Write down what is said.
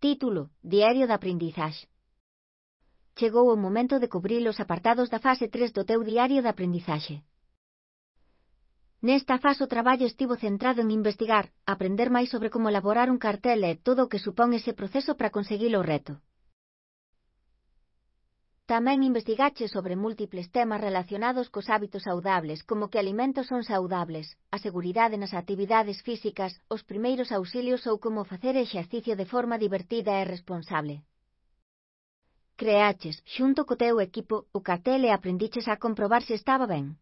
Título: Diario de aprendizaxe. Chegou o momento de cubrir os apartados da fase 3 do teu diario de aprendizaxe. Nesta fase o traballo estivo centrado en investigar, aprender máis sobre como elaborar un cartel e todo o que supón ese proceso para conseguir o reto. Tamén investigache sobre múltiples temas relacionados cos hábitos saudables, como que alimentos son saudables, a seguridade nas actividades físicas, os primeiros auxilios ou como facer exercicio de forma divertida e responsable. Creaches, xunto co teu equipo, o cartel e aprendiches a comprobar se estaba ben.